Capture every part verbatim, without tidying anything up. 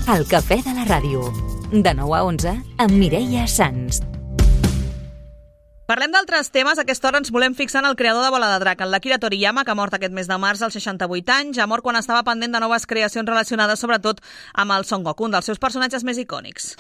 El cafè de la ràdio. De nou a onze, amb Mireia Sans. Parlem d'altres temes. A aquesta hora ens volem fixar en el creador de Bola de Drac, en l'Akira Toriyama, que ha mort aquest mes de març als seixanta-vuit anys. Ha mort quan estava pendent de noves creacions relacionades sobretot amb el Son Goku, un dels seus personatges més icònics.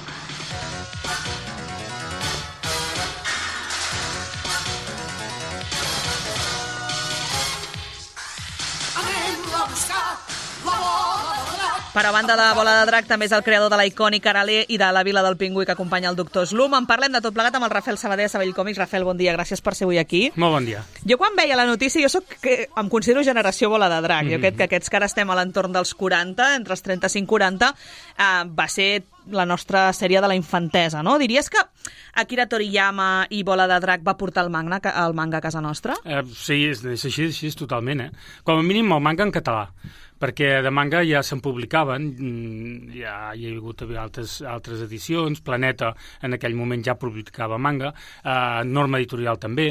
Per a banda de Bola de Drac, també és el creador de la icònica Arale i de la Vila del Pingüí, que acompanya el doctor Slum. En parlem de tot plegat amb el Rafael Sabater de Sabell Còmics. Rafael, bon dia, gràcies per ser avui aquí. Molt bon dia. Jo quan veia la notícia, jo soc, que em considero generació Bola de Drac. Mm-hmm. Jo crec que aquests que ara estem a l'entorn dels quaranta, entre els trenta-cinc i quaranta, eh, va ser la nostra sèrie de la infantesa, no? Diries que Akira Toriyama i Bola de Drac va portar el manga, el manga a casa nostra? Eh, sí, és, és així, és així totalment, eh? Com a mínim el manga en català, perquè de manga ja se'n publicaven, ja hi ha hagut altres, altres edicions, Planeta en aquell moment ja publicava manga, eh, Norma Editorial també,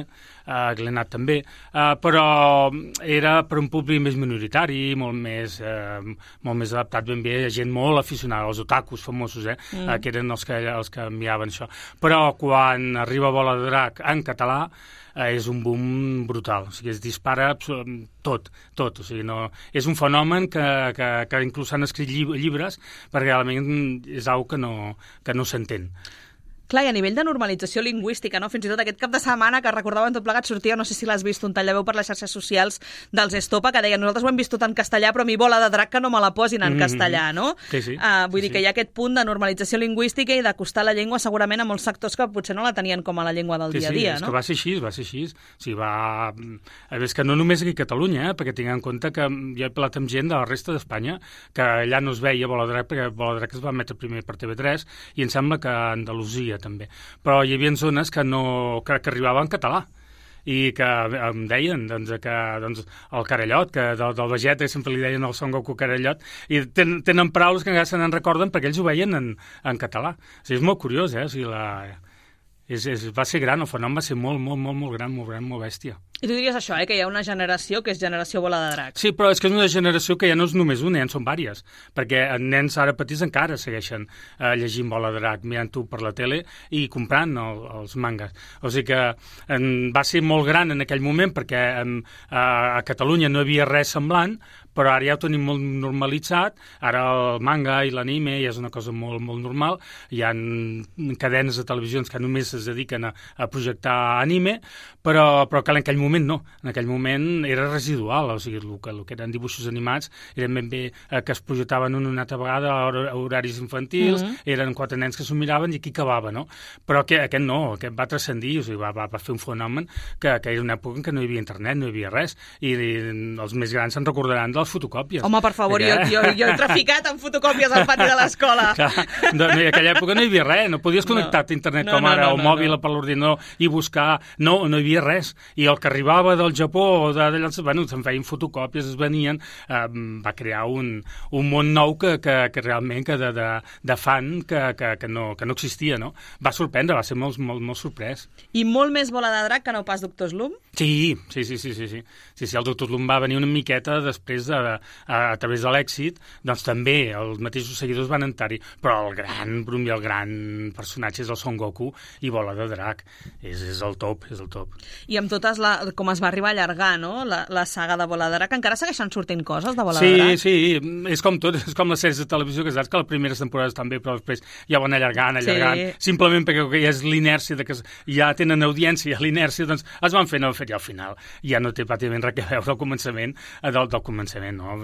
eh, Glenat també, eh, però era per un públic més minoritari, molt més, eh, molt més adaptat ben bé a gent molt aficionada, els otakus famosos, eh, mm. eh, que eren els que, els que enviaven això. Però quan arriba Bola de Drac en català, eh, és un boom brutal, o sigui, es dispara tot, tot, o sigui, no, és un fenomen que, que, que inclús s'han escrit llibres perquè realment és una que no, que no s'entén. Clar, i a nivell de normalització lingüística, no? Fins i tot aquest cap de setmana que recordaven tot plegat sortia, no sé si l'has vist, un tall de veu per les xarxes socials dels Estopa, que deien, nosaltres ho hem vist tot en castellà, però a mi Bola de Drac que no me la posin en mm-hmm. castellà, no? Sí, sí. Uh, vull sí, dir que sí. hi ha aquest punt de normalització lingüística i d'acostar la llengua segurament a molts sectors que potser no la tenien com a la llengua del sí, dia a sí, dia, és no? Que va ser així, va ser així. O sigui, va... És que no només aquí a Catalunya, eh? Perquè tinc en compte que jo he parlat amb gent de la resta d'Espanya, que allà no es veia Bola de Drac, perquè Bola de Drac es va emetre primer per T V tres, i em sembla que a Andalusia també. Però hi havia zones que, no, que, que arribaven en català i que em deien doncs, que doncs, el Carallot, que del, del Vegeta sempre li deien el Son Goku Carallot, i ten, tenen paraules que encara se n'en recorden perquè ells ho veien en, en català. O sigui, és molt curiós, eh? O sigui, la... És, és, va ser gran, el fenomen va ser molt, molt, molt, molt gran, molt gran, molt bèstia. I tu diries això, eh, que hi ha una generació que és generació Bola de Drac. Sí, però és que és una generació que ja no és només una, ja en són vàries, perquè nens ara petits encara segueixen eh, llegint Bola de Drac, mirant-ho per la tele i comprant el, els mangas. O sigui que en, va ser molt gran en aquell moment, perquè en, a, a Catalunya no hi havia res semblant, però ara ja ho tenim molt normalitzat, ara el manga i l'anime ja és una cosa molt, molt normal, hi ha cadenes de televisions que només es dediquen a, a projectar anime, però, però que en aquell moment no, en aquell moment era residual, o sigui, el que, el que eren dibuixos animats eren ben bé eh, que es projectaven una altra vegada a horaris infantils, mm-hmm. eren quatre nens que s'ho miraven i aquí acabava, no? Però que, aquest no, aquest va transcendir, o sigui, va, va, va fer un fenomen que, que era una època en què no hi havia internet, no hi havia res, i, i els més grans se'n recordaran de fotocòpies. Home, per favor, jo, jo, jo he traficat amb fotocòpies al pati de l'escola. En aquella època no hi havia res, no podies connectar-te a internet no, com ara, no, no, o mòbil no. per l'ordinador i buscar, no, no hi havia res. I el que arribava del Japó o d'allà, bueno, se'n feien fotocòpies, es venien, eh, va crear un, un món nou que, que, que realment que de, de, de fan que, que, que, no, que no existia, no? Va sorprendre, va ser molt, molt, molt sorprès. I molt més Bola de Drac que no pas Doctor Slum? Sí, sí, sí, sí, sí, sí. Sí, sí, el Doctor Slum va venir una miqueta després de, a, a través de l'èxit, doncs també els mateixos seguidors van entrar-hi, però el gran brum i el gran personatge és el Son Goku i Bola de Drac. És, és el top, és el top. I amb totes, la, com es va arribar a allargar, no?, la, la saga de Bola de Drac, encara segueixen sortint coses de Bola sí, de Drac? Sí, sí, és com tot, és com les sèries de televisió, que saps que les primeres temporades estan bé, però després ja van allargant, allargant, sí. Simplement perquè ja és l'inèrcia, de que ja tenen audiència, l'inèrcia, doncs es van fent, fet ja al final. Ja no té pràcticament res a veure al començament, del, del començament, no?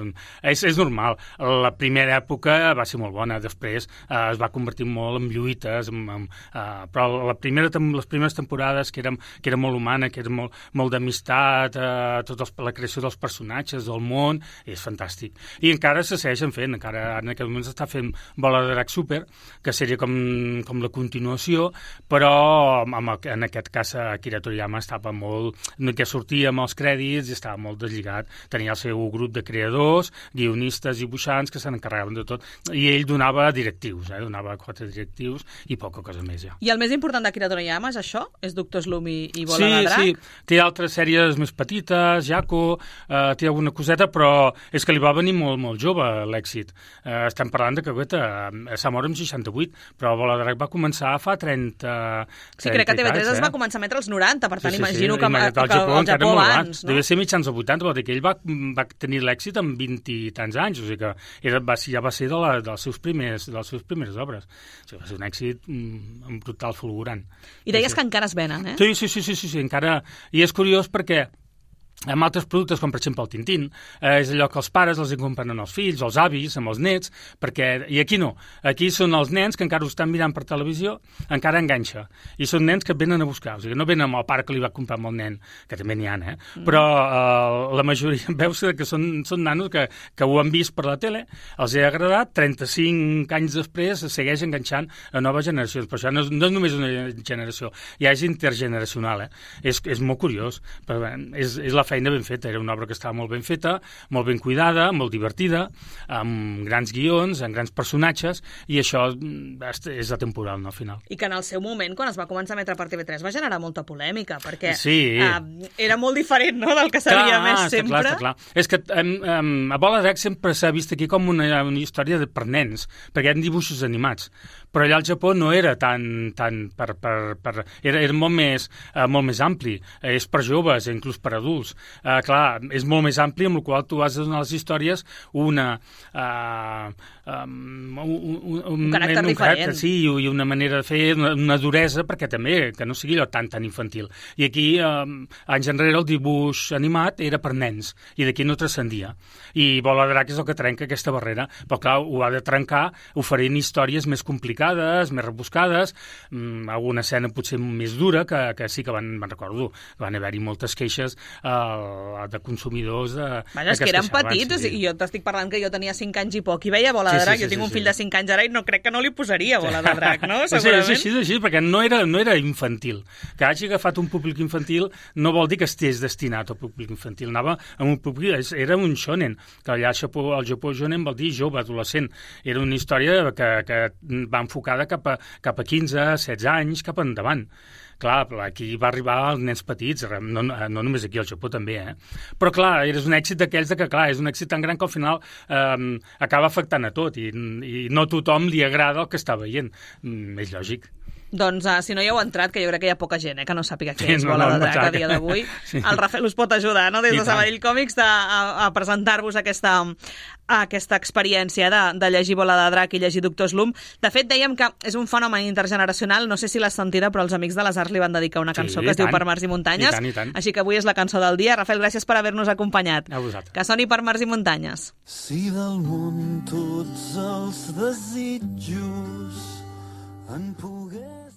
És, és normal. La primera època va ser molt bona, després eh, es va convertir molt en lluites, en, en, eh, però la primera, les primeres temporades, que era, que era molt humana, que era molt, molt d'amistat, eh, tot els, la creació dels personatges, del món, és fantàstic. I encara se segueixen fent, encara en aquest moment s'està fent Bola de Drac Super, que seria com, com la continuació, però amb, en aquest cas Akira Toriyama estava molt, que sortia amb els crèdits i estava molt deslligat, tenia el seu grup de creadors, guionistes i dibuixants que se n'encarregaven de tot, i ell donava directius, eh? donava quatre directius i poca cosa més ja. I el més important d'Akira Toriyama és això? És Doctor Slum i, i Bola sí, de Drac? Sí, té altres altres sèries més petites, Jaco, eh, té alguna coseta, però és que li va venir molt, molt jove l'èxit. Eh, estem parlant de que Goethe s'ha mort amb seixanta-vuit, però Bola de Drac va començar fa trenta... Sí, crec que T V tres eh? es va començar a emetre als noranta, per tant sí, sí, imagino sí, que, que, que Japó, al Japó abans, no? Deve ser mitjans dels vuitanta, vol dir que ell va, va tenir l'èxit amb vint i tants anys, o sigui que era, va, ja va ser de la, dels seus primers, de les seves primeres obres. O sigui, va ser un èxit mm, brutal, fulgurant. I deies sí, que encara es venen, eh? Sí, sí, sí, sí, sí, sí, encara... I és curiós perquè amb altres productes, com per exemple el Tintín, eh, és allò que els pares els compren als fills, als avis, amb els nets, perquè... I aquí no. Aquí són els nens que encara ho estan mirant per televisió, encara enganxa. I són nens que et venen a buscar. O sigui, no venen amb el pare que li va comprar amb el nen, que també n'hi ha, eh? Mm. Però eh, la majoria, veus que són, són nanos que, que ho han vist per la tele, els ha agradat, trenta-cinc anys després segueix enganxant a noves generacions. Però això no és, no és només una generació, ja és intergeneracional, eh? És, és molt curiós. Però, és, és la feina ben feta, era una obra que estava molt ben feta, molt ben cuidada, molt divertida, amb grans guions, amb grans personatges, i això és atemporal, no, al final. I que en el seu moment, quan es va començar a emetre per T V tres, va generar molta polèmica, perquè sí. uh, era molt diferent, no?, del que s'havia més sempre. Clar, clar. És que um, um, a Bola de Drac sempre s'ha vist aquí com una, una història de, per nens, perquè hi ha dibuixos animats. Però allà al Japó no era tan... tan per, per, per, era, era molt més, uh, molt més ampli. Eh, és per joves, inclús per adults. Uh, clar, és molt més ampli, amb la qual tu has de donar les històries una... Uh, um, un, un, un caràcter un, un diferent. Caràcter, sí, i una manera de fer, una, una duresa, perquè també, que no sigui allò tan, tan infantil. I aquí, um, anys enrere, el dibuix animat era per nens, i d'aquí no transcendia. I Bola de Drac és el que trenca aquesta barrera, però clar, ho ha de trencar oferint històries més complicades, més rebuscades, um, alguna escena potser més dura, que, que sí que van, van recordo, van haver-hi moltes queixes uh, de consumidors de, Vaja, és que eren petits, sí. I jo t'estic parlant que jo tenia cinc anys i poc i veia Bola sí, de Drac, sí, sí, jo tinc sí, un fill sí. de cinc anys ara i no crec que no li posaria Bola de Drac, no? Sí, és així, és així, perquè no era, no era infantil. Que hagi agafat un públic infantil no vol dir que estigués destinat al públic infantil, anava amb un públic, era un shonen, que allà al Japó, al Japó shonen vol dir jove, adolescent. Era una història que, que va enfocada cap a, cap a quinze, setze anys, cap endavant. Clar, aquí va arribar als nens petits, no, no només aquí al Japó també, eh? Però clar, és un èxit d'aquells de que, clar, és un èxit tan gran que al final eh, acaba afectant a tot i, i no a tothom li agrada el que està veient. Mm, és lògic. Doncs uh, si no hi heu entrat, que jo crec que hi ha poca gent eh, que no sàpiga què sí, és no, Bola no, de Drac no, a dia d'avui. Sí. El Rafael us pot ajudar, no?, des de Sabadell Còmics de, a, a presentar-vos aquesta, aquesta experiència de, de llegir Bola de Drac i llegir Doctor Slump. De fet, dèiem que és un fenomen intergeneracional, no sé si l'has sentida, però els Amics de les Arts li van dedicar una cançó sí, que es tant. diu Per mars i muntanyes. I tant, i tant. Així que avui és la cançó del dia. Rafael, gràcies per haver-nos acompanyat. A vosaltres. Que soni Per mars i muntanyes. Si del món tots els desitjos en pogués